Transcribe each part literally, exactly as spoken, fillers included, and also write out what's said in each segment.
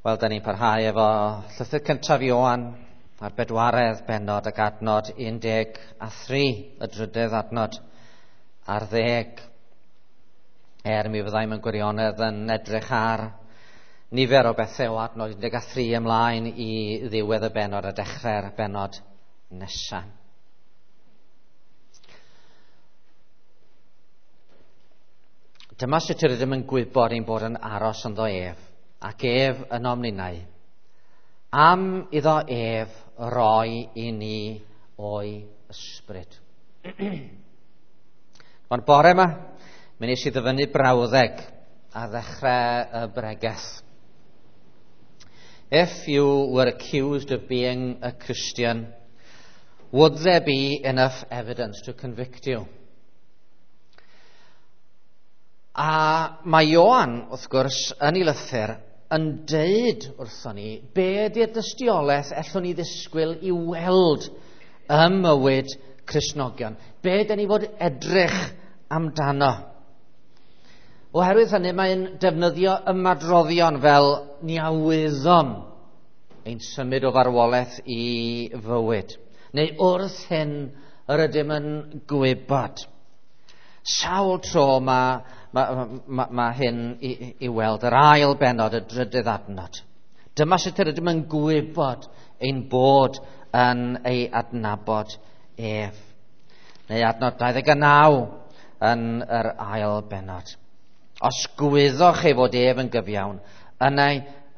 Wel, da ni'n parhau efo llythyr cyntaf Ioan a'r bedwaredd bennod ac adnod un deg a thri, y drydedd adnod ar ddeg. Er mi fyddai mewn gwirionedd yn edrych ar nifer o bethau o adnod un deg a thri ymlaen i ddiwedd y bennod a dechrau'r bennod nesaf. Dyma sut yr ydym yn gwybod ein bod yn aros ynddo ef, ac ef ynom ninnau, am iddo ef roi i ni o'i ysbryd. Mae'r bore yma, mi wnes i ddyfynnu brawddeg ar ddechrau y bregeth. If you were accused of being a Christian, would there be enough evidence to convict you? A mae Ioan, wrth gwrs, yn ei lythyr, yn deud wrthon ni be ydy'r dystiolaeth ellwn ni ddisgwyl i weld ym mywyd Cristnogion. Be dyn ni fod edrych amdano. Oherwydd hynny, mae'n defnyddio ymadroddion fel ni a wyddom ein symud o farwolaeth i fywyd. Neu wrth hyn yr ydym yn gwybod. Sawl tro mae ma, ma, ma hyn i, i weld yr ail bennod, y drydydd adnod. Dyma sut yr ydym yn gwybod ein bod yn ei adnabod ef. Neu adnod dau ddeg a naw yn yr ail bennod. Os gwyddoch ei fod ef yn gyfiawn, yna,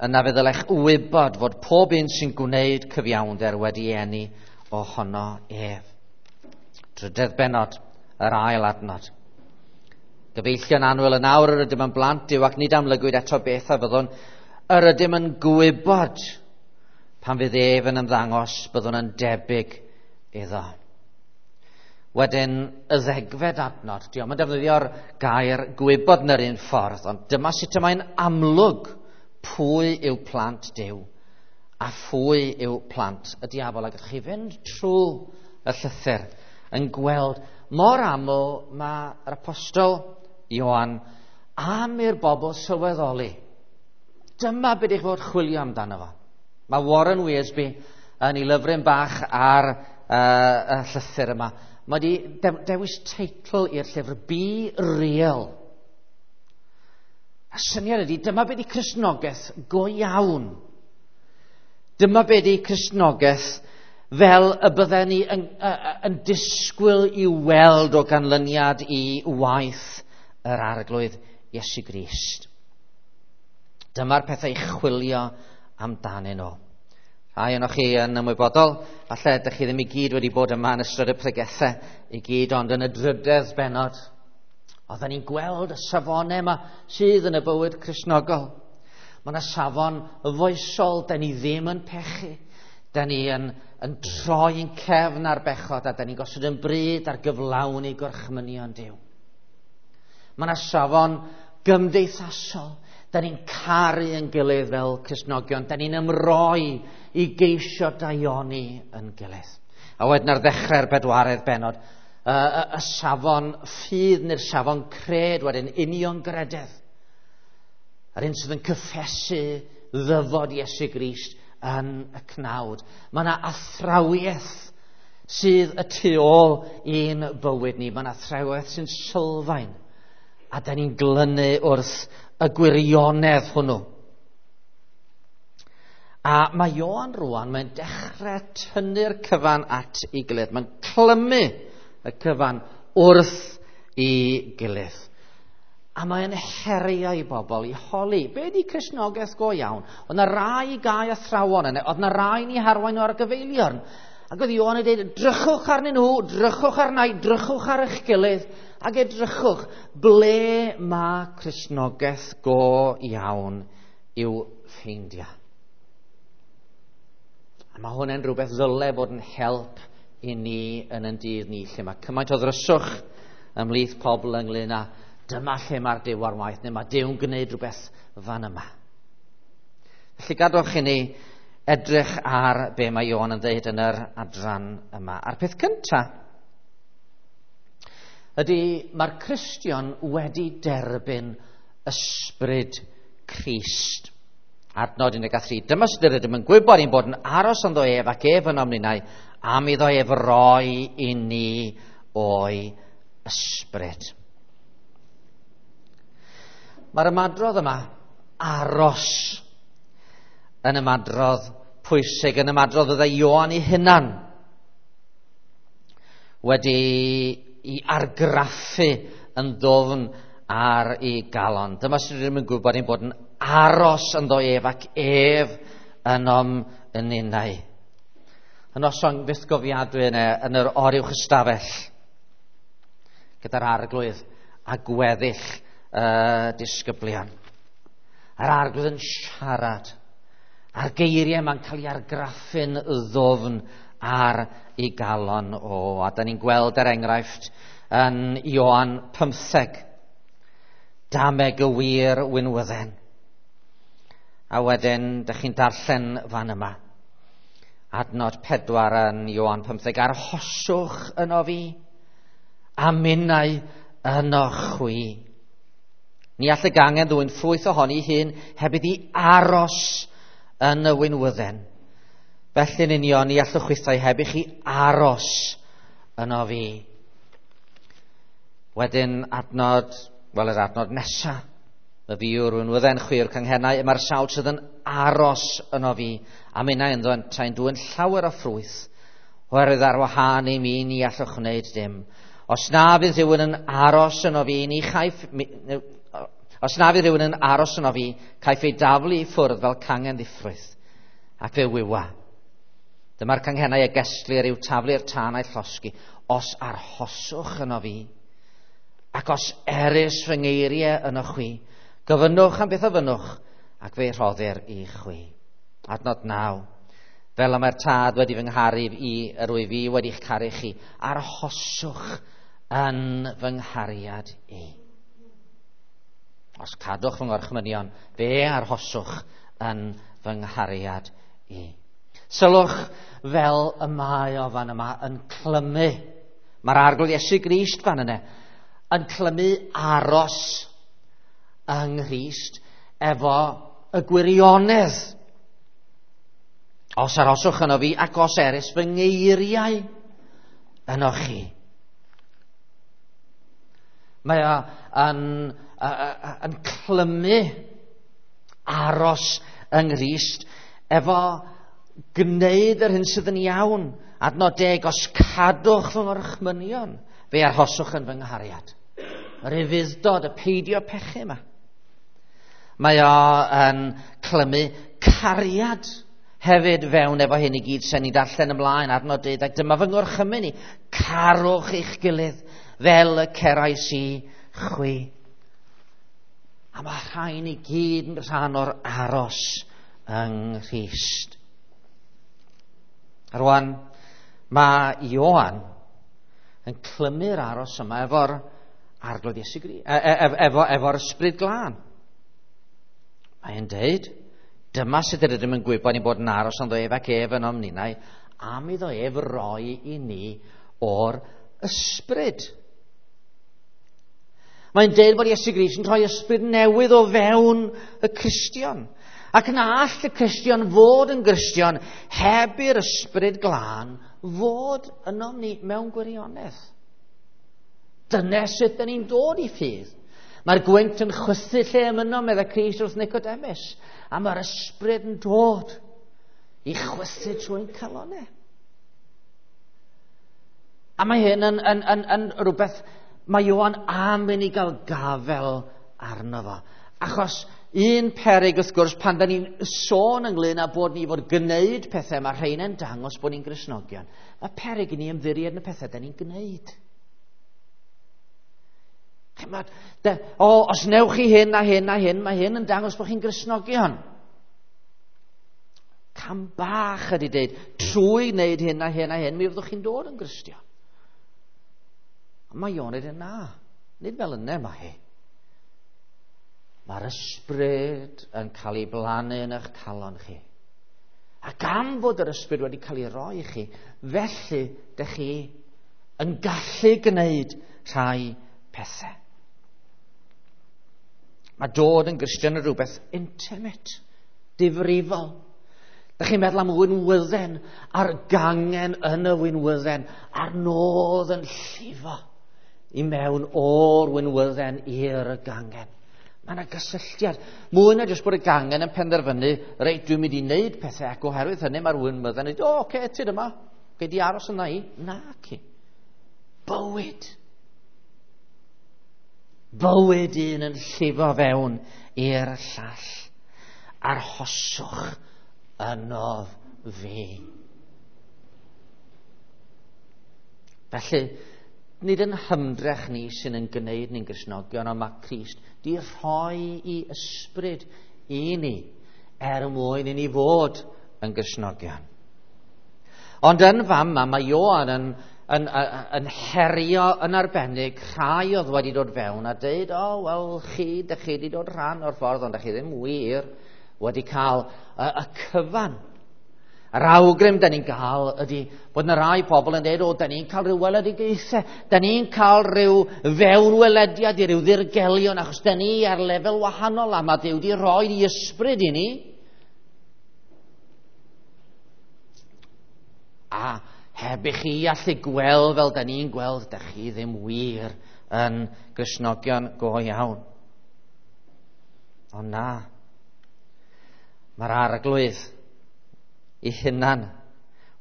yna fe ddylech wybod fod pob un sy'n gwneud cyfiawnder wedi eni ohono ef. Drydedd bennod, yr ail adnod. Gyfeillion annwyl, yn awr yr ydym yn blant Duw ac nid amlygwyd eto beth a fyddwn. Yr ydym yn gwybod pan fydd ef yn ymddangos, byddwn yn debyg iddo. Wedyn, y ddegfed adnod, diolch yn defnyddio'r gair gwybod yn yr un ffordd, ond dyma sut y mae'n amlwg pwy yw plant Duw a phwy yw plant y diafol. A gallwch chi fynd trwy y llythyr yn gweld mor aml mae'r apostol Ioan am i'r bobl sylweddoli. Dyma beth eich fod chwilio amdano fo. Mae Warren Wiersbe yn ei lyfryn bach ar uh, y llythyr yma. Mae wedi dewis teitl i'r llyfr, Be Real. A syniad ydy, dyma beth ydy Cristnogaeth go iawn. Dyma beth ydy Cristnogaeth fel y bydden ni yn, yn, yn disgwyl i weld o ganlyniad i waith yr Arglwydd Iesu Grist. Dyma'r pethau i chwilio amdanyn nhw. Rhai ohonoch chi yn ymwybodol, falle ydych chi ddim i gyd wedi bod yma yn ystod y pregethau i gyd, ond yn y drydedd bennod, oedden ni'n gweld y safonau yma sydd yn y bywyd Cristnogol. Mae yna safon foesol, da ni ddim yn pechu. Da ni yn, yn troi'n cefn ar bechod a da ni'n gosod yn bryd ar gyflawni gorchmynion Duw. Mae yna safon gymdeithasol. Da ni'n caru yn gilydd fel Cristnogion. Da ni'n ymroi i geisio daioni yn gilydd. A wedyn ar ddechrau'r bedwaredd bennod, y, y, y safon ffydd neu'r safon cred wedyn, uniongrededd. Yr un sydd yn cyffesu ddyfod Iesu Grist yn y cnawd. Mae yna athrawiaeth sydd y tu ôl i'n bywyd ni. Mae yna athrawiaeth sy'n sylfaen. A da ni'n glynu wrth y gwirionedd hwnnw. A mae Ioan rwan, mae'n dechrau tynnu'r cyfan at ei gilydd. Mae'n clymu y cyfan wrth ei gilydd. A mae'n herio i bobl i holi, be di Cristnogaeth go iawn? Oedd na rai gau athrawon yna, oedd na rai ni harwain nhw ar gyfeiliorn. Ac oedd Ioan yn dweud, drychwch arnyn nhw, drychwch arna i, drychwch ar eich gilydd, ac edrychwch ble mae Cristnogaeth go iawn i'w ffeindio. A mae hwn yn rhywbeth ddyle fod yn help i ni yn yn dydd ni, lle mae cymaint o ddryswch ymhlith pobl ynglyn â dyma lle mae'r Duw ar waith, neu mae Duw'n gwneud rhywbeth fan yma. Felly gadwch i ni edrych ar be mae Ioan yn dweud yn yr adran yma. A'r peth cyntaf ydy mae'r Cristion wedi derbyn ysbryd Crist. Adnod un deg tri. Dyma sut yr ydym yn gwybod ein bod yn aros ynddo ef ac ef ynom ninnau, am iddo ef roi i ni o'i ysbryd. Mae'r ymadrodd yma, aros, yn ymadrodd pwysig, yn ymadrodd fydde Ioan ei hunan wedi i argraffu yn ddwfn ar ei galon. Dyma sut rydym yn gwybod ein bod yn aros ynddo ef ac ef ynom yn ninnau. Y noson fythgofiadwy yna yn yr oruwch ystafell gyda'r Arglwydd a gweddill y disgyblion. A'r Arglwydd yn siarad, a'r geiriau ma'n cael ei argraffu'n ddwfn ar ei galon o. A da ni'n gweld er enghraifft yn Ioan pymtheg, dameg y wir winwydden. A wedyn, dych chi'n darllen fan yma, adnod pedwar yn Ioan pymtheg, arhoswch yno fi, a minnau yno chwi. Ni all y gangen ddwyn ffrwyth ohoni hun heb iddi aros yn y winwydden. Felly'n union, ni allwch chwithau heb i chi aros yno fi. Wedyn adnod, wel yr adnod nesa, y fi yw'r winwydden, chwi yw'r canghennau, mae'r sawl sydd yn aros yno fi, a minnau ynddo yntau'n dwyn llawer o ffrwyth, oherwydd ar wahân i mi ni allwch wneud dim. Os na fydd rhywun yn aros yno fi, ni chaiff, os na fydd rhywun yn aros yno fi, caiff ei daflu i ffwrdd fel cangen ddiffrwyth, ac fe wywa. Dyma'r canghennau y gesglir i'w taflu'r tân a'i llosgi. Os arhoswch yno fi, ac os erys fy ngeiriau yno chwi, gofynnwch am beth ofynnwch, ac fe rhoddir i chwi. Adnod naw. Fel y mae'r Tad wedi fy ngharu i, yr wyf fi wedi'ch caru chi, arhoswch yn fy nghariad i. Os cadwch fy ngorchmynion, fe arhoswch yn fy nghariad i. Sylwch fel y mae o fan yma yn clymu. Mae'r Arglwydd Iesu Grist fan yna yn clymu aros yng Nghrist efo y gwirionedd. Os arhoswch yno fi ac os erys fy ngeiriau yno chi. Mae o yn, yn clymu aros yng Nghrist efo gwneud yr hyn sydd yn iawn. Adnod deg, os cadwch fy ngorchmynion, fe arhoswch yn fy nghariad. Yr ufudd-dod, y peidio pechu yma. Mae o yn clymu cariad hefyd fewn efo hyn i gyd sy'n ni darllen ymlaen, adnod deuddeg. Dyma fy ngorchymyn i, carwch eich gilydd fel y cerais i chwi. A mae rhain i gyd yn rhan o'r aros yng Nghrist. A rwan, mae Ioan yn clymu'r aros yma efo'r Arglwydd Iesu Grist, efo, efo'r Ysbryd Glân. Mae'n deud, dyma sut yr ydym yn gwybod ni'n bod yn aros ynddo ef ac ef ynom ninnau, am iddo ef roi i ni o'r ysbryd. Mae'n deud bod Iesu Grist yn rhoi ysbryd newydd o fewn y Cristion. Ac na all y Cristion fod yn Gristion heb i'r Ysbryd Glân fod ynom ni mewn gwirionedd. Dyna sut dyn ni'n dod i ffydd. Mae'r gwynt yn chwythu lle ymuno, meddai Crist wrth Nicodemus, a mae'r ysbryd yn dod i chwythu trwy'n calonnau. A mae hyn yn, yn, yn, yn rhywbeth mae Ioan am i ni gael gafel arno fo. Achos un peryg wrth gwrs pan da ni'n sôn ynglyn â bod ni fod gwneud pethau, mae rhain yn dangos bod ni'n Gristnogion. Mae peryg i ni ymddiried yn y pethau da ni'n gwneud. Chymod, de, o, os newch chi hyn a hyn a hyn, mae hyn yn dangos bod chi'n Gristnogion. Cam bach ydy deud, trwy wneud hyn a hyn a hyn, mi fyddwch chi'n dod yn Gristion. Ond mae Ioan yn dweud, na, nid fel yna mae hi. Mae'r ysbryd yn cael ei blannu yn eich calon chi. Ac am fod yr ysbryd wedi cael ei roi i chi, felly dych chi yn gallu gwneud rhai pethau. Mae dod yn Gristion yn rhywbeth intimate, difrifol. Dych chi'n meddwl am winwydden, a'r gangen yn y winwydden, a'r nodd yn llifo i mewn o'r winwydden i'r gangen. Mae yna gysylltiad. Mwy na jyst bod y gangen yn penderfynu, reit, dwi'n mynd i wneud pethau, ac oherwydd hynny mae'r winwydden yn dweud, o, oce, okay, tyd yma, gei di aros yna i. Na, ci. Bywyd. Bywyd un yn llifo fewn i'r llall. Arhoswch ynof fi. Felly, nid yn hymdrech ni sy'n yn gwneud ni'n Gristnogion, ond mae Crist di rhoi i ysbryd i ni er mwyn i ni fod yn Gristnogion. Ond yn fama mae Ioan yn, yn, yn, yn herio yn arbennig rhai oedd wedi dod fewn a dweud, o, oh, wel, chi, dych chi wedi dod rhan o'r ffordd, ond dych chi ddim wir wedi cael y, y cyfan. Yr awgrym da ni'n gael ydy bod yna rai pobl yn dweud, o, da ni'n cael rhyw weledigaethau, da ni'n cael rhyw fewnwelediad i ryw ddirgelion, achos da ni ar lefel wahanol a mae Duw wedi rhoi i ysbryd i ni. A heb i chi allu gweld fel da ni'n gweld, da chi ddim wir yn Gristnogion go iawn. Ond na, mae'r Arglwydd ei hunan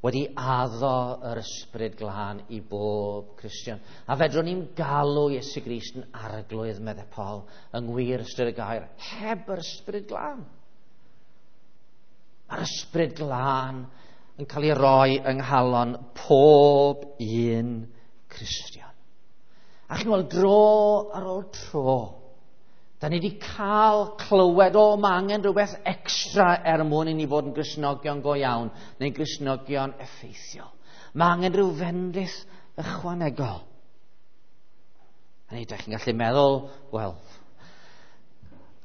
wedi addo yr ysbryd glân i bob Cristion. A fedrwn ni'n galw Iesu Grist yn Arglwydd, meddai Paul, yng ngwir ystyr y gair, heb yr ysbryd glân. Mae'r ysbryd glân yn cael ei roi yng nghalon pob un Cristion. A chi'n gweld dro ar ôl tro, da ni wedi cael clywed, o, mae angen rhywbeth extra er mwyn i ni fod yn Gristnogion go iawn, neu'n Gristnogion effeithiol. Mae angen rhyw fendith ychwanegol. A ni, da chi'n gallu meddwl, wel,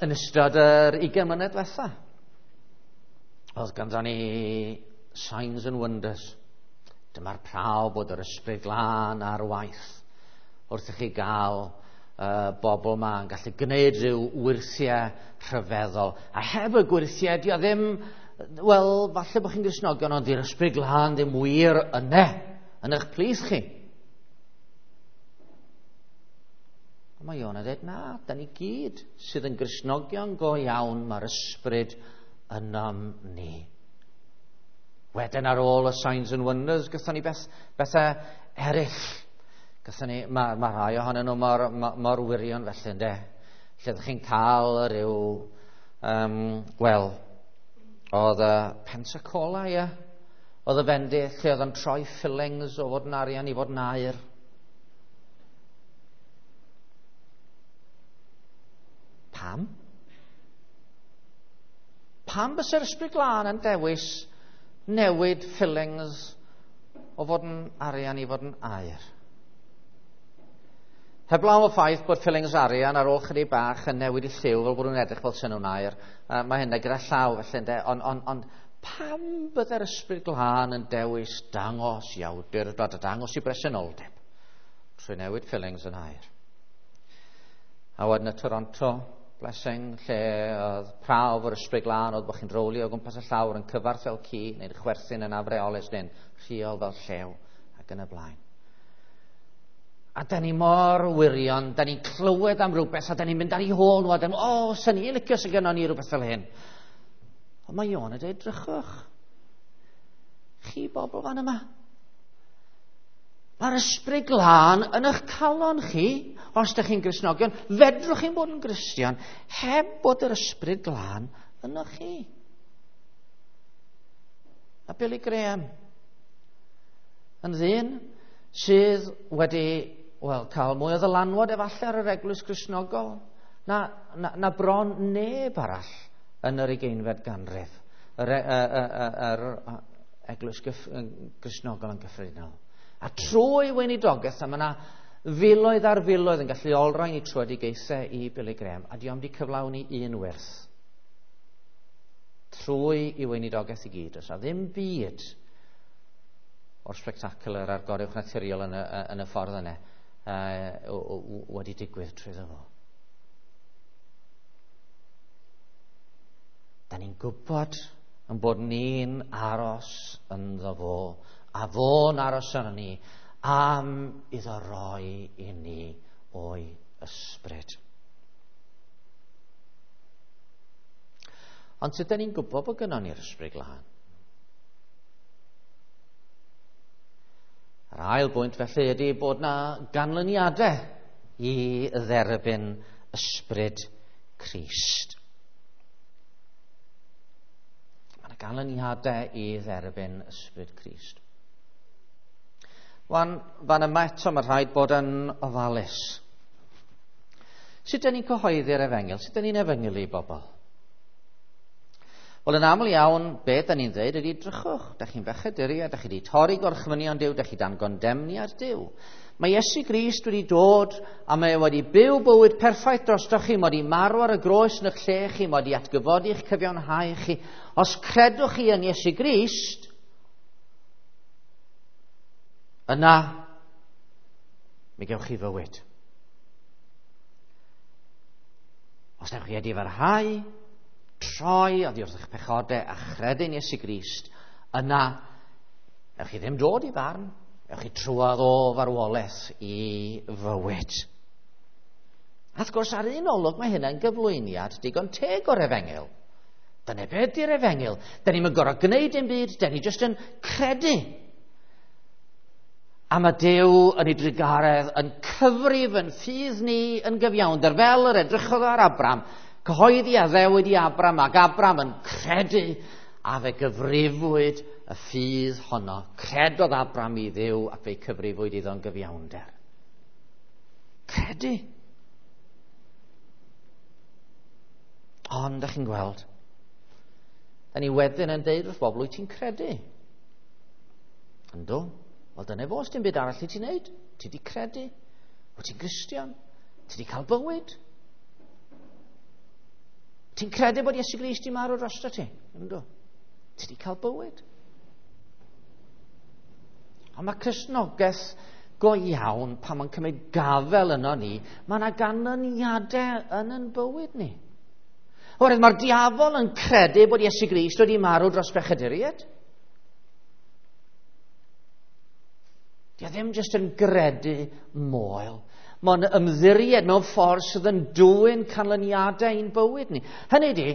yn ystod yr ugain mlynedd diwetha, oedd ganddo ni signs and wonders. Dyma'r prawf bod yr ysbryd glân ar waith wrth i chi gael uh, bobl ma yn gallu gwneud rhyw wyrthiau rhyfeddol. A heb y gwyrthiau, di o ddim, wel, falle bod chi'n Gristnogion, ond di'r ysbryd glân ddim wir yna, yn eich plith chi. Ond mae Iona dweud, na, da ni gyd sydd yn Gristnogion go iawn, mae'r ysbryd ynom ni. Wedyn ar ôl y signs and wonders, gathon ni beth, bethau eraill. Gathon ni, mae, mae rhai ohonyn nhw mor, mor, mor wirion felly, ynde? Lle ydych chi'n cael rhyw, um, wel, oedd y Pensacola, ie? Oedd y fendith lle oedd yn troi fillings o fod yn arian i fod yn aur. Pam? Pam bysa'r ysbryd glân yn dewis newid fillings o fod yn arian i fod yn aur? Heblaw y ffaith bod fillings arian ar ôl chydig bach yn newid i lliw fel bod nhw'n edrych fel sy'n nhw'n aur, uh, mae hynna gyda llaw felly, ynde? Ond on, on, pam bydde'r ysbryd glân yn dewis dangos i awdurdod a dangos i bresenoldeb trwy newid fillings yn aur? A wedyn y Toronto blessing, lle oedd prawf o'r ysbryd glân, oedd bod chi'n rowlio o gwmpas y llawr yn cyfarth fel ci, neu'n chwerthin yn afreolus, neu'n rhiol fel llew, ac yn y blaen. A da ni mor wirion, da ni'n clywed am rhywbeth, a da ni'n mynd ar ei hôl nhw, a da ni'n, o, oh, sy'n ni'n licio sy'n gynnon ni rhywbeth fel hyn. Ond mae Iona dweud, drychwch, chi bobl fan yma, mae'r ysbryd glân yn eich calon chi, os ydych chi'n Gristnogion, fedrwch chi'n bod yn Gristion, heb bod yr ysbryd glân ynoch chi. A Billy Graham, yn ddyn sydd wedi, wel, cael mwy o ddylanwad efallai ar yr eglwys Gristnogol na, na, na bron neb arall yn yr ugeinfed ganrif, yr, yr, yr, yr eglwys Gristnogol yn gyffredinol. A trwy weinidogaeth, a mae yna filoedd ar filoedd yn gallu olrhain i tröedigaethau i Billy Graham, a di o'm di cyflawni un wyrth. Trwy i weinidogaeth i gyd, oes a ddim byd o'r spectacular a'r goruwch naturiol yn y, yn y ffordd yna uh, wedi digwydd trwyddo fo. Da ni'n gwybod yn bod ni'n aros ynddo fo, a fo'n aros yno ni, am iddo roi i ni o'i ysbryd. Ond sut da ni'n gwybod bod gynnon ni'r Ysbryd Glân? Yr ail bwynt felly ydy bod na ganlyniadau i dderbyn ysbryd Crist. Mae yna ganlyniadau i dderbyn ysbryd Crist. Wan, fan yma eto mae rhaid bod yn ofalus. Sut ydyn ni'n cyhoeddi'r efengyl? Sut ydyn ni'n efengylu i bobl? Wel, yn aml iawn, be da ni'n dweud ydy, drychwch, da chi'n bechaduriaid, da chi wedi torri gorchmynion Duw, da chi dan gondemniad Duw. Mae Iesu Grist wedi dod a mae wedi byw bywyd perffaith drostoch chi, mae wedi marw ar y groes yn eich lle chi, mae wedi atgyfodi eich cyfiawnhau chi. Os credwch chi yn Iesu Grist, yna mi gewch chi fywyd. Os newch chi edifarhau, troi oddi wrth eich pechodau a chredu'n Iesu Grist, yna newch chi ddim dod i farn, newch chi trwodd o farwolaeth i fywyd. A wrth gwrs, ar un olwg mae hynna'n gyflwyniad digon teg o'r efengyl. Dyna beth ydy'r efengyl. Da ni'm yn gorfod gwneud dim byd, da ni jyst yn credu. A mae Duw yn ei drugaredd yn cyfrif yn ffydd ni yn gyfiawnder, fel yr edrychodd ar Abram, cyhoeddi addewid i Abram, ac Abram yn credu, a fe gyfrifwyd y ffydd honno. Credodd Abram i Dduw, ac fe'i cyfrifwyd iddo'n gyfiawnder. Credu. Ond, dach chi'n gweld, da ni wedyn yn deud wrth bobl, wyt ti'n credu? Yndw. Wel, dyna fo, dim byd arall i ti'n neud. Ti di credu. Wyt ti'n Gristion. Ti di cael bywyd. Ti'n credu bod Iesu Grist 'di marw drosto ti? Yndw. Ti di cael bywyd. Ond mae Cristnogaeth go iawn, pan mae'n cymryd gafel yno ni, mae yna ganlyniadau yn yn bywyd ni. Oherwydd mae'r diafol yn credu bod Iesu Grist wedi marw dros bechaduriaid. Di o ddim jyst yn gredu moel. Mae'n ymddiried mewn ffordd sydd yn dwyn canlyniadau i'n bywyd ni. Hynny ydi,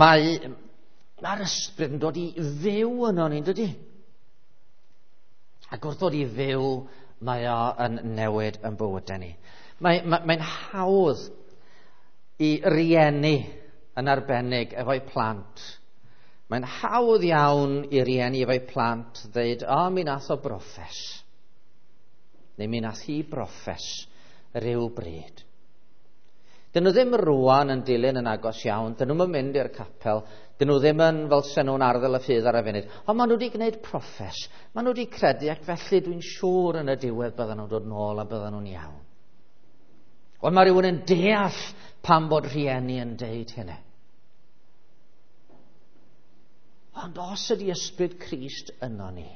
mae, mae'r ysbryd yn dod i fyw yno ni, dydy? Ac wrth ddod i fyw, mae o yn newid yn bywydau ni. Mae, mae, mae'n hawdd i rieni yn arbennig efo'u plant. Mae'n hawdd iawn i rieni efo'u plant ddeud, o, mi nath o broffes. Neu mi nath hi broffes rhyw bryd. Dyn nhw ddim rwan yn dilyn yn agos iawn, dyn nhw'm yn mynd i'r capel, dyn nhw ddim yn fel sen nhw'n arddel y ffydd ar y funud, ond maen nhw wedi gwneud proffes, maen nhw wedi credu, ac felly dwi'n siŵr yn y diwedd bydden nhw'n dod nôl a bydden nhw'n iawn. Ond mae rhywun yn deall pam bod rhieni yn deud hynny. Ond os ydy ysbryd Crist yno ni,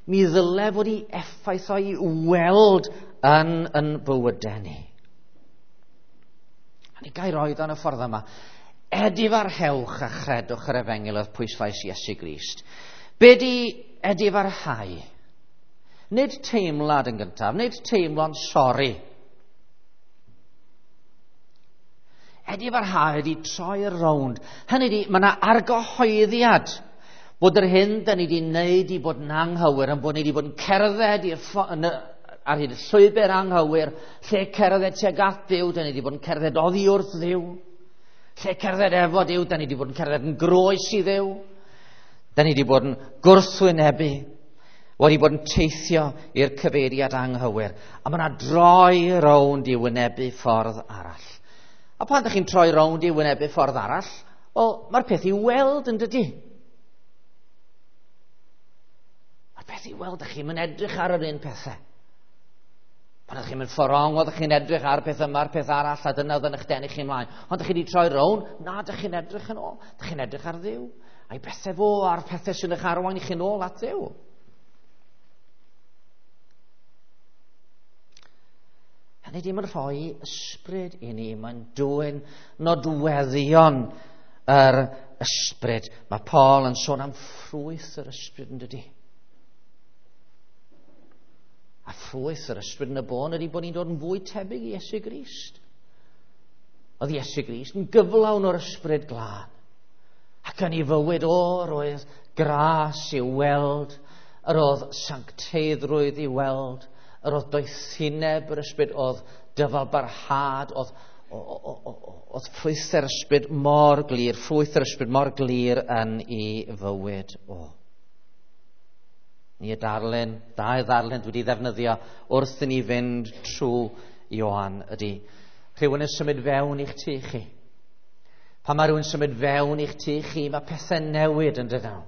mi ddyle fod ei effaith o'i weld yn yn bywydau ni. A ni gael roed yn y ffordd yma. Edifarhewch a chredwch yr efengyl oedd pwyslais Iesu Grist. Be di edifarhau? Nid teimlad yn gyntaf, nid teimlo'n sori. Edifarhau ydi troi rownd. Hynny ydi, mae yna argyhoeddiad bod yr hyn da ni wedi wneud i bod yn anghywir, yn bod ni wedi bod yn cerdded i'r ffo- yn y, ar hyd y llwybr anghywir, lle cerdded tuag at Dduw, da ni wedi bod yn cerdded oddi wrth Dduw. Lle cerdded efo Duw, da ni wedi bod yn cerdded yn groes i Dduw. Da ni wedi bod yn gwrthwynebu, wedi bod yn teithio i'r cyfeiriad anghywir. A mae yna droi rownd i wynebu ffordd arall. A pan ydych chi'n troi rownd i wynebu ffordd arall, wel, mae'r peth i weld yn dydy. Mae'r peth i weld, ydych chi'n mynd edrych ar yr un pethau. Pan ydych chi'n mynd ffordd rong, oeddech chi'n edrych ar peth yma, a'r peth arall, a dyna oedd yn eich denu chi ymlaen. Ond ydych chi wedi troi rownd, na, ydych chi'n edrych yn ôl. Ydych chi'n edrych ar Dduw. A'i bethau fo, a'r pethau sy'n eich arwain i chi'n ôl at Dduw. Hynny ddim yn rhoi ysbryd i ni, mae'n dwyn nodweddion yr ysbryd. Mae Paul yn sôn am ffrwyth yr ysbryd yn dydi. A ffrwyth yr ysbryd yn y bôn ydy bod ni'n dod yn fwy tebyg i Iesu Grist. Oedd Iesu Grist yn gyflawn o'r ysbryd glân. Ac yn ei fywyd o, roedd gras i'w weld, yr oedd sancteiddrwydd i weld, yr oedd doethineb yr ysbryd, oedd dyfalbarhad, oedd, oedd ffrwyth yr ysbryd mor glir, ffrwyth yr ysbryd mor glir yn ei fywyd o. Ni y darlun, dau ddarlun dwi wedi ddefnyddio wrth i ni fynd trwy Ioan ydy rhywun yn symud fewn i'ch tŷ chi. Pan mae rhywun symud fewn i'ch tŷ chi, mae pethau newid yn dydyn nhw.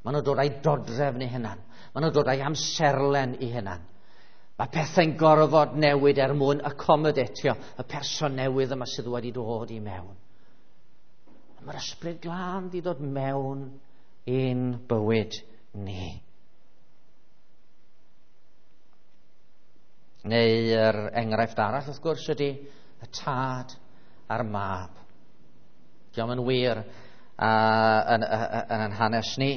Maen nhw'n dod â'i dodrefn i hunan. Maen nhw'n dod â'i amserlen i hunan. Mae pethau'n gorfod newid er mwyn accommodatio y person newydd yma sydd wedi dod i mewn. Mae'r ysbryd glân wedi dod mewn i'n bywyd ni. Neu'r enghraifft arall, wrth gwrs, ydy y tad a'r mab. Diolch yn wir uh, yn, yn, yn hanes ni.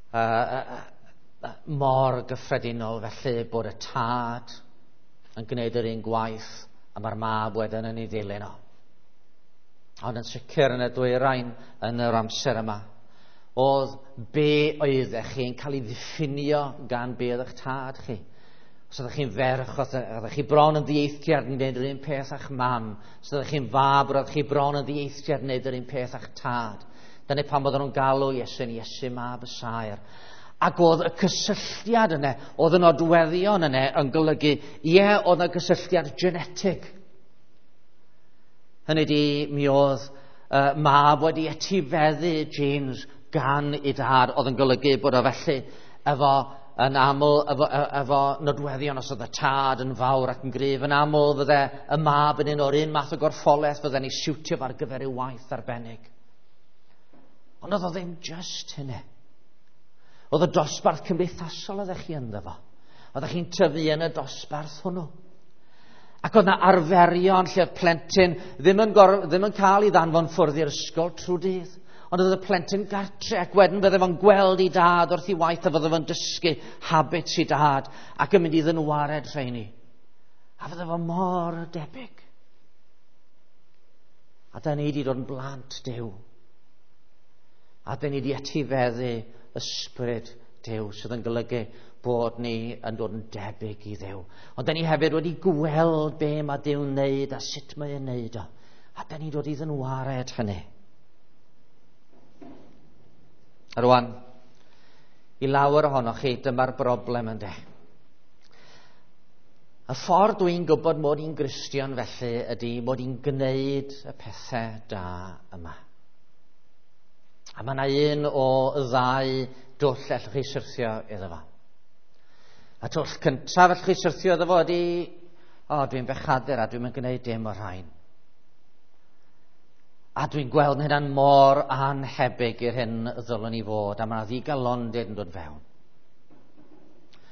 Uh, uh, mor gyffredinol felly bod y tad yn gwneud yr un gwaith a mae'r mab wedyn yn ei ddilyn o. Ond yn sicr yn y dwyrain yn yr amser yma, oedd be oeddech chi'n cael ei ddiffinio gan be oedd eich tad chi. Os oeddech chi'n ferch, oeddech chi bron yn ddieithriad yn gwneud yr un peth â'ch mam. Os oeddech chi'n fab, oeddech chi bron yn ddieithriad yn gwneud yr un peth â'ch tad. Dyna pam oedden nhw'n galw Iesu'n Iesu mab y saer. Ac oedd y cysylltiad yna, oedd y nodweddion yna yn golygu, ie, oedd yna gysylltiad genetig. Hynny di, mi oedd uh, mab wedi etifeddu genes gan ei dad, oedd yn golygu bod o felly efo yn aml efo, efo nodweddion, os oedd y tad yn fawr ac yn gryf, yn aml fydde y mab yn un o'r un math o gorffolaeth fydde'n ei siwtio ar gyfer ei waith arbennig. Ond oedd o ddim just hynny. Oedd y dosbarth cymdeithasol oeddech chi ynddo fo. Oeddech chi'n tyfu yn y dosbarth hwnnw. Ac oedd yna arferion lle oedd plentyn ddim yn, gor, ddim yn cael ei ddanfon ffwrdd i'r ysgol trwy dydd. Ond oedd y plentyn gartre ac wedyn fydde fo'n gweld ei dad wrth ei waith a fydde fo'n dysgu habits ei dad ac yn mynd i ddynwared rheini. A fydde fo mor debyg. A da ni wedi dod yn blant Duw. A da ni wedi etifeddu ysbryd Duw sydd yn golygu bod ni yn dod yn debyg i Dduw. Ond da ni hefyd wedi gweld be mae Duw'n wneud a sut mae'n wneud o. A da ni'n dod i ddynwared hynny. A rwan, i lawer ohonoch chi, dyma'r broblem ynde. Y ffordd dwi'n gwybod mod i'n Gristion felly ydy mod i'n gwneud y pethau da yma. A mae yna un o ddau dwll allwch chi syrthio iddo fo. A twll cyntaf allwch chi syrthio iddo fo ydy, o, dwi'n bechadur a dwi'n mynd gwneud dim o'r rhain. A dwi'n gweld hynna'n mor anhebyg i'r hyn ddylwn i fod, a mae yna ddigalondid yn dod fewn.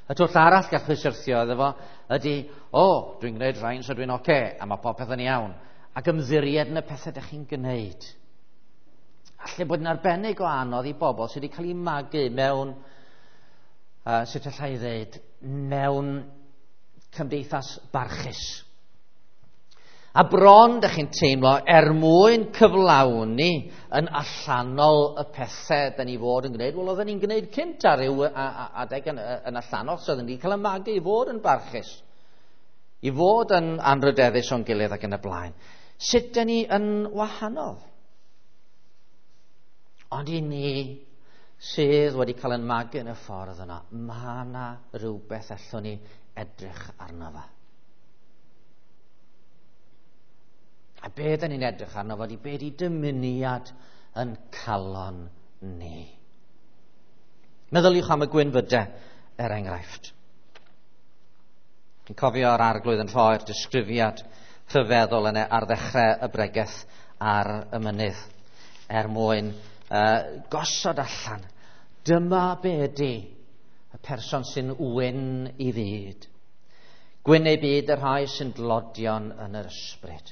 Y twll arall gallwch chi syrthio iddo fo ydy, o, dwi'n gwneud rhain so dwi'n oce, okay, a mae popeth yn iawn. Ac ymddiried yn y pethau ydych chi'n gwneud. Alle bod yn arbennig o anodd i bobl sydd wedi cael eu magu mewn, uh, sut allai i ddweud, mewn cymdeithas barchus. A bron dych chi'n teimlo er mwyn cyflawni yn allanol y pethau da ni fod yn gwneud. Wel, oedden ni'n gwneud cynt ar ryw adeg yn, yn allanol, so oedden ni'n cael y magu i fod yn barchus, i fod yn anrydeddus o'n gilydd ac yn y blaen. Sut da ni yn wahanol? Ond i ni sydd wedi cael yn magu yn y ffordd yna, mae yna rhywbeth allwn ni edrych arno fo. A be da ni'n edrych arno fo, be di dymuniad yn calon ni. Meddyliwch am y gwynfydau, er enghraifft. Dwi'n cofio'r arglwydd yn rhoi'r disgrifiad rhyfeddol yna ar ddechrau y bregeth ar y mynydd, er mwyn uh, gosod allan. Dyma be ydi y person sy'n wyn i fyd. Gwyn eu byd y rhai sy'n dlodion yn yr ysbryd.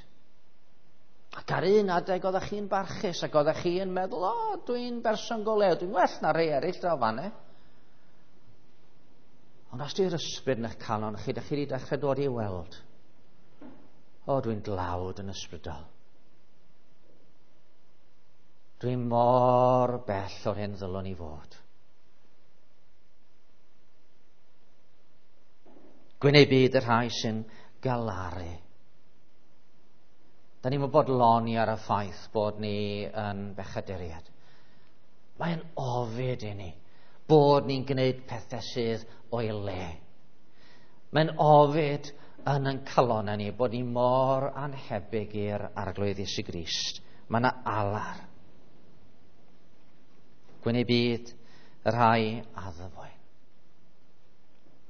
Ac ar un adeg oeddech chi'n barchus ac oeddech chi'n meddwl, o, dwi'n berson go lew, dwi'n well na rhai eraill draw fanne. Ond os di'r ysbryd yn eich calon chi, dych chi wedi dechrau dod i weld, o, dwi'n dlawd yn ysbrydol. Dwi'n mor bell o'r hyn ddylwn i fod. Gwyn eu byd y rhai sy'n galaru. Da ni'n bodloni ar y ffaith bod ni yn bechaduriaid. Mae'n ofid i ni bod ni'n gwneud pethau sydd o'i le. Mae'n ofid yn ein calonnau ni bod ni mor annhebyg i'r Arglwydd Iesu Grist. Mae yna alar. Gwyn eu byd y rhai addfwyn.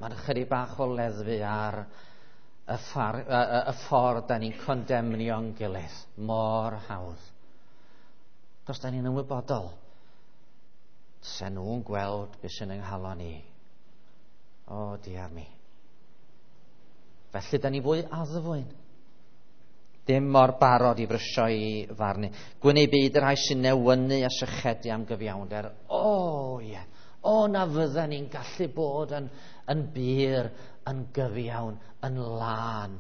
Mae'n ychydig bach o leddfu ar y, ffar, y, y, y ffordd da ni'n condemnio'n gilydd mor hawdd. Cos da ni'n ymwybodol. Se nhw'n gweld beth sy'n yng nghalon ni. O, diar mi. Felly da ni fwy addfwyn. Dim mor barod i frysio i farnu. Gwyn eu byd y rhai sy'n newynu a sychedu am gyfiawnder. O, ie. Yeah. O, na fydden ni'n gallu bod yn, yn bur, yn gyfiawn, yn lân.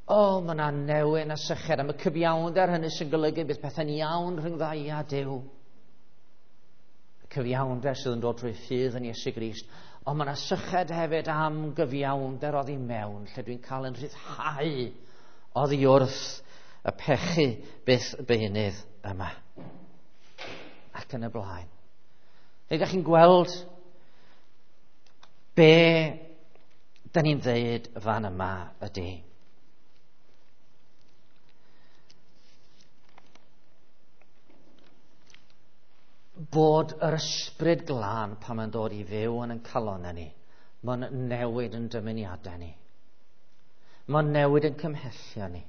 O, mae yna newyn a syched am y cyfiawnder hynny sy'n golygu bydd pethau'n iawn rhwng ddau a Duw. Y cyfiawnder sydd yn dod trwy ffydd yn Iesu Grist. Ond mae yna syched hefyd am gyfiawnder oddi mewn, lle dwi'n cael yn rhyddhau oddi wrth y pechu byth beunydd yma. Ac yn y blaen. Neu ydych chi'n gweld be da ni'n dweud fan yma ydy. Bod yr ysbryd glân pan mae'n dod i fyw yn ein calonnau ni, mae'n newid yn dymuniadau ni. Mae'n newid yn cymhellion ni.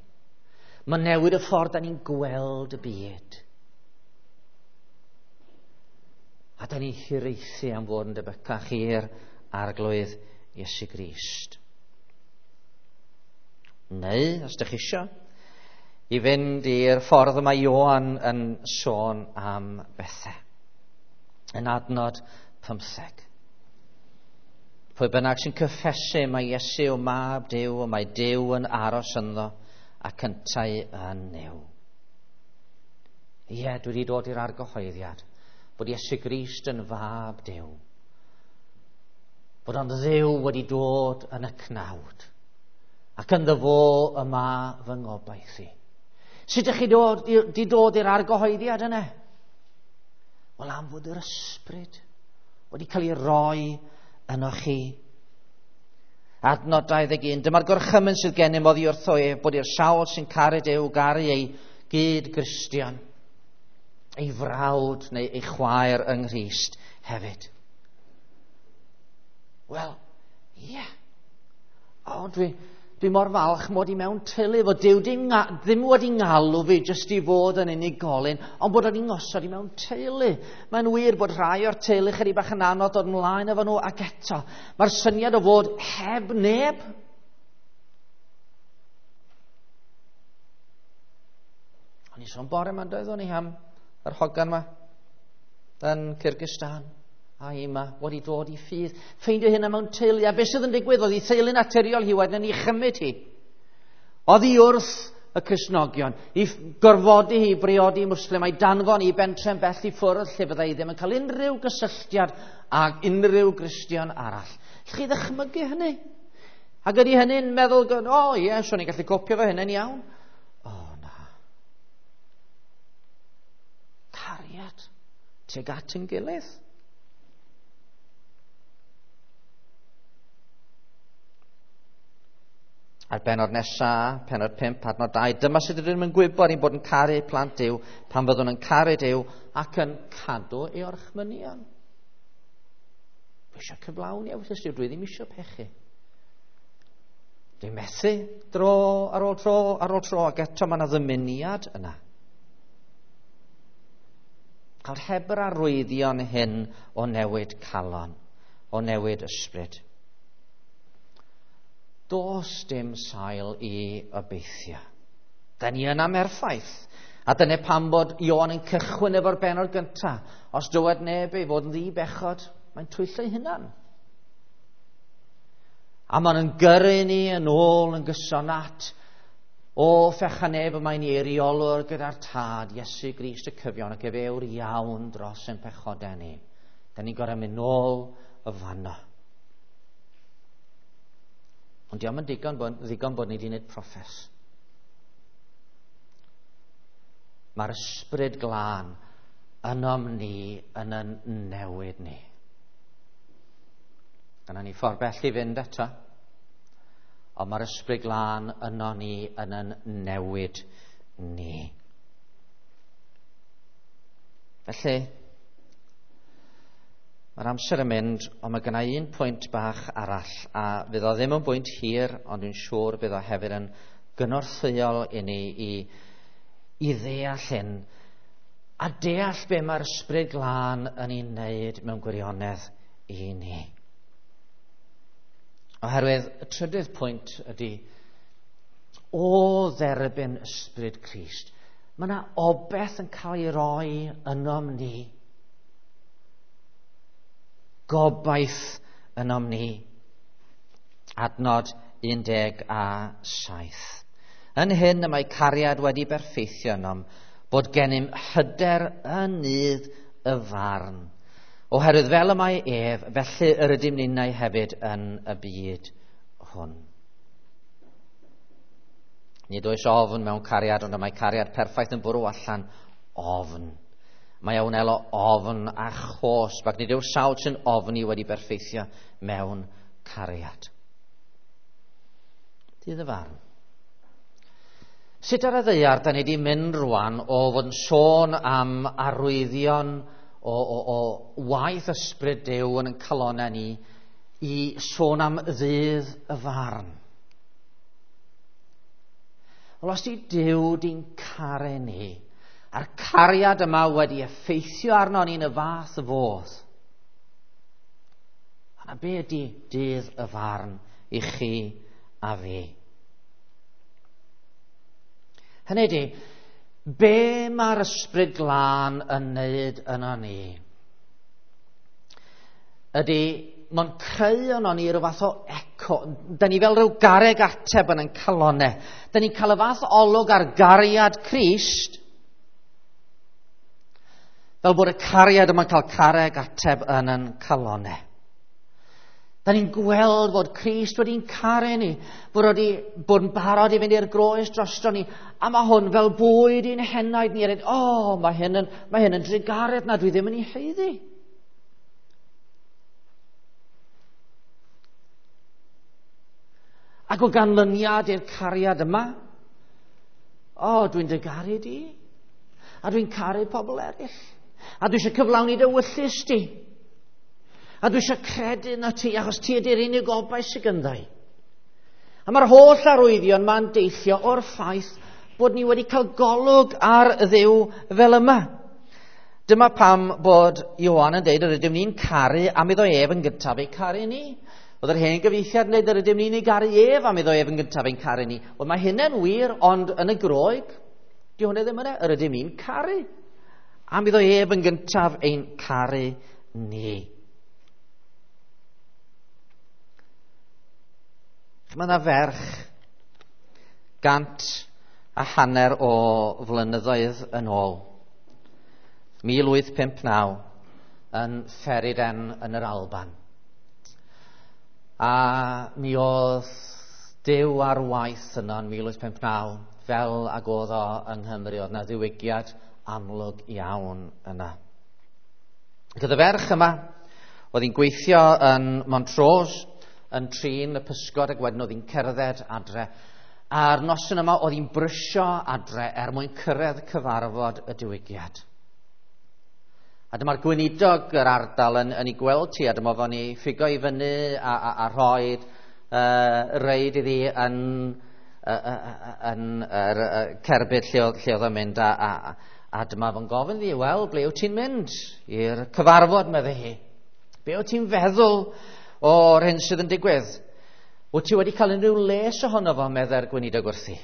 Mae'n newid y ffordd da ni'n gweld y byd. A da ni'n hiraethu am fod yn debycach i'r Arglwydd Iesu Grist. Neu, os ydych chi isio, i fynd i'r ffordd yma Ioan yn sôn am bethau. Yn adnod pymtheg. Pwy bynnag sy'n cyffesu mae Iesu o mab Duw, o mae Duw yn aros ynddo ac yntau yn Nuw. Ie, dwi wedi dod i'r argyhoeddiad bod Iesu Grist yn fab Duw. Bod ond Dduw wedi dod yn y cnawd. Ac ynddo fo y ma fy ngobaith i. Sut ydych chi dod, di dod i'r argyhoeddiad yna? Wel, am fod yr ysbryd wedi cael ei roi yno chi. Adnod dau ddeg un. Dyma'r gorchymyn sydd gennym oddi wrtho ef, bod i'r sawl sy'n caru Duw garu ei gyd-Gristion, ei frawd neu ei chwaer yng Nghrist hefyd. Wel, ie. Yeah. O, dwi, dwi mor falch mod i mewn teulu, fod Duw dim, ddim wedi ngalw fi jyst i fod yn unigolyn, ond bod o'n ngosod i mewn teulu. Mae'n wir bod rhai o'r teulu chydig bach yn anodd dod ymlaen efo nhw, ac eto, mae'r syniad o fod heb neb. O'n i sôn bore yma, doeddwn i am yr hogan yma yn Kyrgyzstan. A yma wedi dod i ffydd. Ffeindio hynna mewn teulu. A beth sydd yn digwydd? Oedd ei theulu naturiol hi wedyn yn ei chymryd hi. Oedd hi wrth y Cristnogion. I gorfodi hi briodi Muslim a'i danfon i bentre'n bell i ffwrdd lle byddai ddim yn cael unrhyw gysylltiad ag unrhyw Gristion arall. Allwch chi ddychmygu hynny? Ac ydy hynny'n meddwl, o oh, ie, yeah, swn i'n gallu copio fo hynny'n iawn. O oh, na. Cariad tuag at yn gilydd. A'r benod nesaf, penod pump, adnod dau, dyma sut ydym yn gwybod ein bod yn caru plant Duw pan fyddwn yn caru Duw ac yn cadw ei orchmynion. Dwi eisiau cyflawni ewyllys Duw, dwi ddim eisiau pechu. Dwi'n methu dro ar ôl tro ar ôl tro, ac eto mae yna ddymuniad yna. Cael heb yr arwyddion hyn o newid calon, o newid ysbryd. Does dim sail i obeithio. Da ni yn amerffaith. A dyna pam bod Ioan yn cychwyn efo'r bennod gyntaf. Os dywed neb ei fod yn ddi-bechod, mae'n twyllo ei hunan. A maen nhw'n gyrru ni yn ôl yn gyson at o fecha neb y mae'n eiriolwr gyda'r Tad, Iesu Grist y cyfion, ac efe yw'r iawn dros ein pechodau ni. Da ni'n gorau mynd nôl y fanno. Ond diolch yn digon bod, ddigon bod ni wedi gwneud proffes. Mae'r ysbryd glân ynom ni yn yn newid ni. Dyna ni ffordd bell i fynd eto. Ond mae'r ysbryd glân yno ni yn yn newid ni. Felly, mae'r amser yn mynd, ond mae gynna i un pwynt bach arall, a fydd o ddim yn bwynt hir, ond dwi'n siŵr bydd o hefyd yn gynorthwyol i ni i, i ddeall hyn, a deall be mae'r ysbryd glân yn ei wneud mewn gwirionedd i ni. Oherwydd y trydydd pwynt ydy, o dderbyn ysbryd Crist, mae yna obaith yn cael ei roi ynom ni. Gobaith ynom ni. Adnod un deg a saith. Yn hyn y mae cariad wedi berffeithio ynom, bod gennym hyder yn nydd y farn. Oherwydd fel y mae ef, felly yr ydym ninnau hefyd yn y byd hwn. Nid oes ofn mewn cariad, ond y mae cariad perffaith yn bwrw allan ofn. Mae a wnelo ofn a chosb, ac nid yw'r sawl sy'n ofni wedi berffeithio mewn cariad. Dydd y farn. Sut ar y ddaear da ni wedi mynd rwan o fod yn sôn am arwyddion o, o, o waith ysbryd Duw yn ein calonnau ni i sôn am ddydd y farn? Wel, os di Duw di'n caru ni, a'r cariad yma wedi effeithio arno ni'n y fath fodd, yna be ydy dydd y farn i chi a fi? Hynny ydy, be mae'r ysbryd glân yn wneud yno ni? Ydy, mae'n creu yno ni rhyw fath o eco. Da ni fel rhyw garreg ateb yn ein calonnau. Da ni'n cael y fath olwg ar gariad Crist, fel bod y cariad yma'n cael carreg ateb yn ein calonnau. Da ni'n gweld fod Crist wedi'n caru ni, bod wedi bod yn barod i fynd i'r groes drosto ni, a mae hwn fel bwyd i'n henaid ni. O, oh, mae hyn yn, mae hyn yn drugaredd na dwi ddim yn ei haeddu. Ac o ganlyniad i'r cariad yma, o, oh, dwi'n dy garu di, a dwi'n caru pobl eraill, a dwi eisiau cyflawni dy wyllys di. A dwi eisiau credu na ti, achos ti ydy'r unig obaith sydd gynddau. A mae'r holl arwyddion ma'n deillio o'r ffaith bod ni wedi cael golwg ar Dduw fel yma. Dyma pam bod Ioan yn deud yr ydym ni'n caru am iddo ef yn gyntaf ei caru ni. Oedd yr hen gyfieithiad yn deud yr ydym ni'n ei garu ef am iddo ef yn gyntaf ein caru ni. Wel, mae hynny'n wir, ond yn y Groeg, di hwnna ddim yna. Yr ydym ni'n caru am iddo ef yn gyntaf ein caru ni. Mae yna ferch gant a hanner o flynyddoedd yn ôl, mil wyth pump naw, yn Feriden yn yr Alban. A mi oedd Duw ar waith yno yn mil wyth pump naw, fel ag oedd o yng Nghymru, oedd yna ddiwygiad amlwg iawn yna. Ac oedd y ferch yma, oedd hi'n gweithio yn Montrose, yn trin y pysgod, ac wedyn oedd hi'n cerdded adre. A'r noson yma oedd hi'n brysio adre er mwyn cyrraedd cyfarfod y diwygiad. A dyma'r gweinidog yr ardal yn, yn ei gweld ti, a dyma fo'n ei ffigo i fyny a, a, a rhoid uh, reid iddi yn, uh, uh, yn yr uh, cerbyd lle oedd, lle oedd o'n mynd. A, a, a dyma fo'n gofyn iddi, wel, ble wyt ti'n mynd i'r cyfarfod, meddai hi. Be wyt ti'n feddwl o'r hyn sydd yn digwydd? Wyt ti wedi cael unrhyw les ohono fo, meddai'r gweinidog wrthi.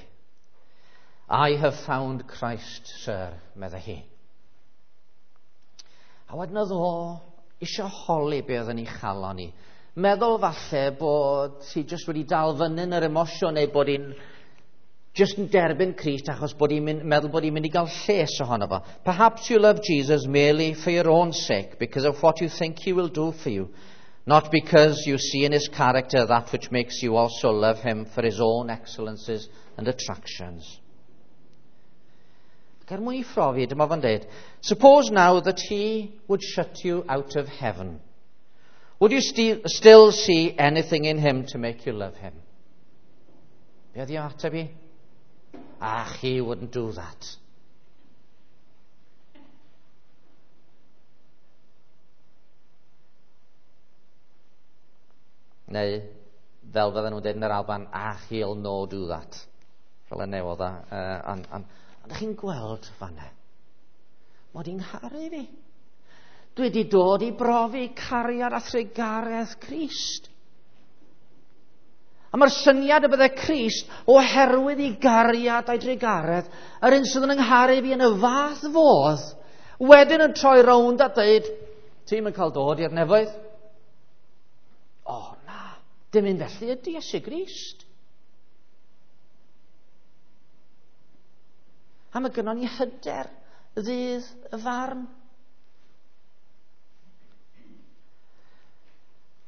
I have found Christ, sir, meddai hi. A wedyn oedd o isio holi be oedd yn ei chalon ni. Meddwl falle bod hi jyst wedi dal fyny yn yr emosiwn neu bod hi'n jyst yn derbyn Crist achos bod hi'n mynd, meddwl bod hi'n mynd i gael lles ohono fo. Perhaps you love Jesus merely for your own sake, because of what you think he will do for you, not because you see in his character that which makes you also love him for his own excellences and attractions. Ac er mwyn i phrofi, dyma fo'n dweud, suppose now that he would shut you out of heaven. Would you sti- still see anything in him to make you love him? Be oedd i ateb i? Ah, he wouldn't do that. Neu, fel fydden nhw'n dweud yn yr Alban, ah, he'll no do that. Fel y newodd o. Uh, ond on, ond chi'n gweld fanna, mod i'n ngharu fi. Dwi wedi dod i brofi cariad a thrugaredd Crist. A mae'r syniad y bydde Crist, oherwydd i gariad a'i drugaredd, yr un sydd yn yngharu fi yn y fath fodd, wedyn yn troi rownd a dweud, ti'n yn cael dod i'r nefoedd? O na, dim un felly ydy Iesu Grist. A mae gynnon ni hyder ddydd y farn.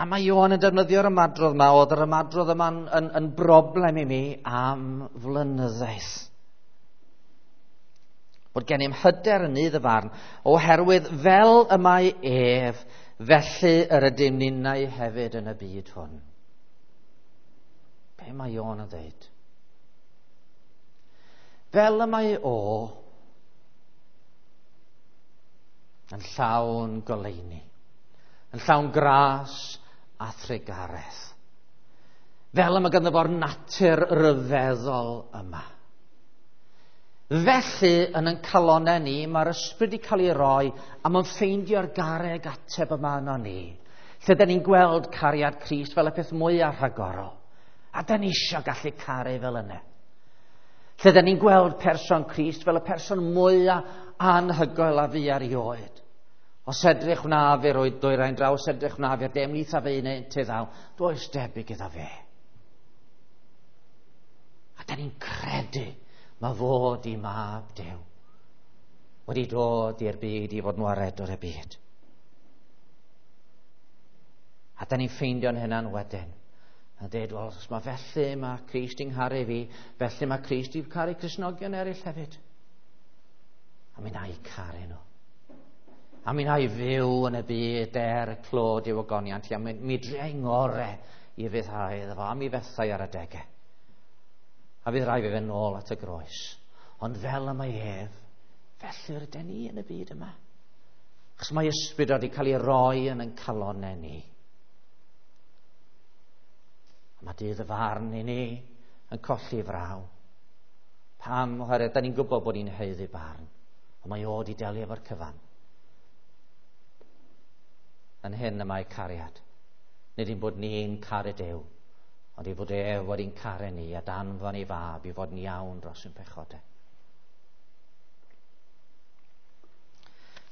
A mae Ioan yn defnyddio'r ymadrodd yma, oedd yr ymadrodd yma'n yn, yn broblem i mi am flynyddoedd. Bod gennym hyder yn nydd y farn, oherwydd fel y mae ef, felly yr ydym ninnau hefyd yn y byd hwn. Be mae Ioan yn dweud? Fel y mae o yn llawn goleuni, yn llawn gras a thrugaredd. Fel y mae ganddo fo'r natur ryfeddol yma. Felly, yn ein calonnau ni, mae'r ysbryd wedi cael ei roi a mae'n ffeindio'r garreg ateb yma yno ni. Lle da ni'n gweld cariad Crist fel y peth mwyaf rhagorol. A da ni eisiau gallu caru fel yna. Lle da ni'n gweld person Crist fel y person mwyaf anhygoel a fu erioed. Os edrych wna fe roed dwyrain draw, os edrych wna fe'r de, ymlith a fe un te ddaw, does debyg iddo fe. A da ni'n credu mae fod i mab Duw wedi dod i'r byd i fod yn waredwr y byd. A da ni'n ffeindio'n hynna'n wedyn. A dweud, wel, os mae felly mae Crist i'n ngharu fi, felly mae Crist i'n caru Cristnogion eraill hefyd. A mi na i caru nhw. A mi na i fyw yn y byd er y clod i'w ogoniant. A mi, mi dria i ngore i fyddhau iddo fo, a mi fethau ar adegau. A fydd rhaid fi fynd nôl at y groes. Ond fel y mae ef, felly rydyn ni yn y byd yma. Achos mae ysbryd wedi cael ei roi yn ein calonnau ni. A mae dydd y farn i ni yn colli fraw. Pam? Oherwydd da ni'n gwybod bod ni'n haeddu barn. Ond mae o wedi delio efo'r cyfan. Yn hyn y mae cariad. Nid ein bod ni'n caru Duw, ond ei fod ef wedi'n caru ni a danfon ei fab i fod yn iawn dros ein pechodau.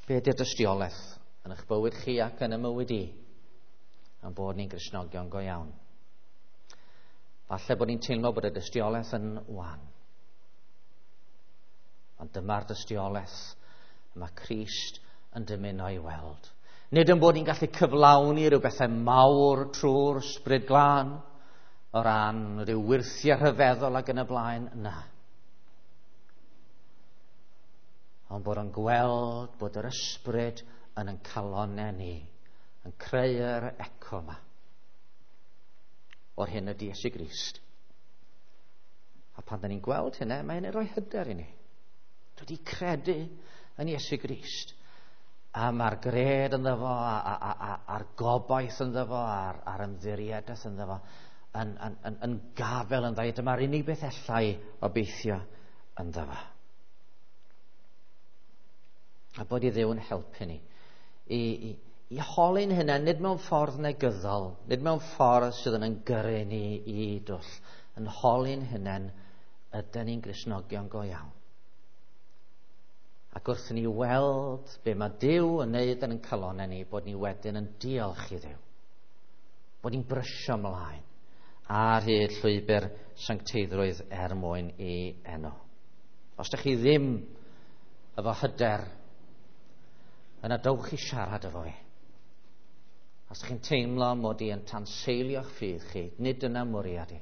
Be ydy'r dystiolaeth yn eich bywyd chi ac yn y mywyd i am bod ni'n Gristnogion go iawn? Falle bod ni'n teimlo bod y dystiolaeth yn wan. Ond dyma'r dystiolaeth y mae Crist yn dymuno ei weld. Nid yn bod ni'n gallu cyflawni rhyw bethau mawr trwy'r ysbryd glân, o ran rhyw wyrthiau rhyfeddol ac yn y blaen, na. Ond bod o'n gweld bod yr ysbryd yn ein calonnau ni, yn creu'r eco yma o'r hyn ydy Iesu Grist. A pan da ni'n gweld hynna, mae hynny'n rhoi hyder i ni. Dwi wedi credu yn Iesu Grist. A mae'r gred ynddo fo, a, a, a, a'r gobaith ynddo fo, a'r, a'r ymddiriedaeth ynddo fo, yn, yn, yn, yn gafel ynddo i. Dyma'r unig beth allai obeithio ynddo fo. A bod i Dduw yn helpu ni i, i, I holi'n hunain, nid mewn ffordd negyddol, nid mewn ffordd sydd yn yn gyrru ni i dwll, yn holi'n hunain, ydyn ni'n Gristnogion go iawn? Ac wrth i ni weld be mae Duw yn neud yn ein calonnau ni, bod ni wedyn yn diolch i Dduw. Bod ni'n brysio ymlaen ar hyd llwybr sancteiddrwydd er mwyn i enw. Os ydych chi ddim efo hyder, yna dowch i siarad efo fi. Os ydych chi'n teimlo mod i yn tanseilio'ch ffydd chi, nid dyna mwriad i.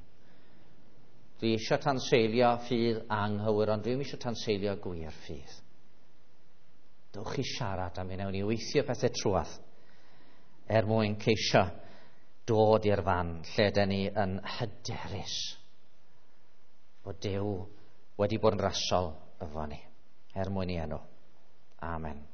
Dwi eisiau tanseilio ffydd anghywir, ond dwi'm eisiau tanseilio gwir ffydd. Dowch i siarad am mi wnawn ni weithio pethau trwadd er mwyn ceisio dod i'r fan lle dyn ni yn hyderus bod Duw wedi bod yn rasol efo ni, er mwyn i enw. Amen.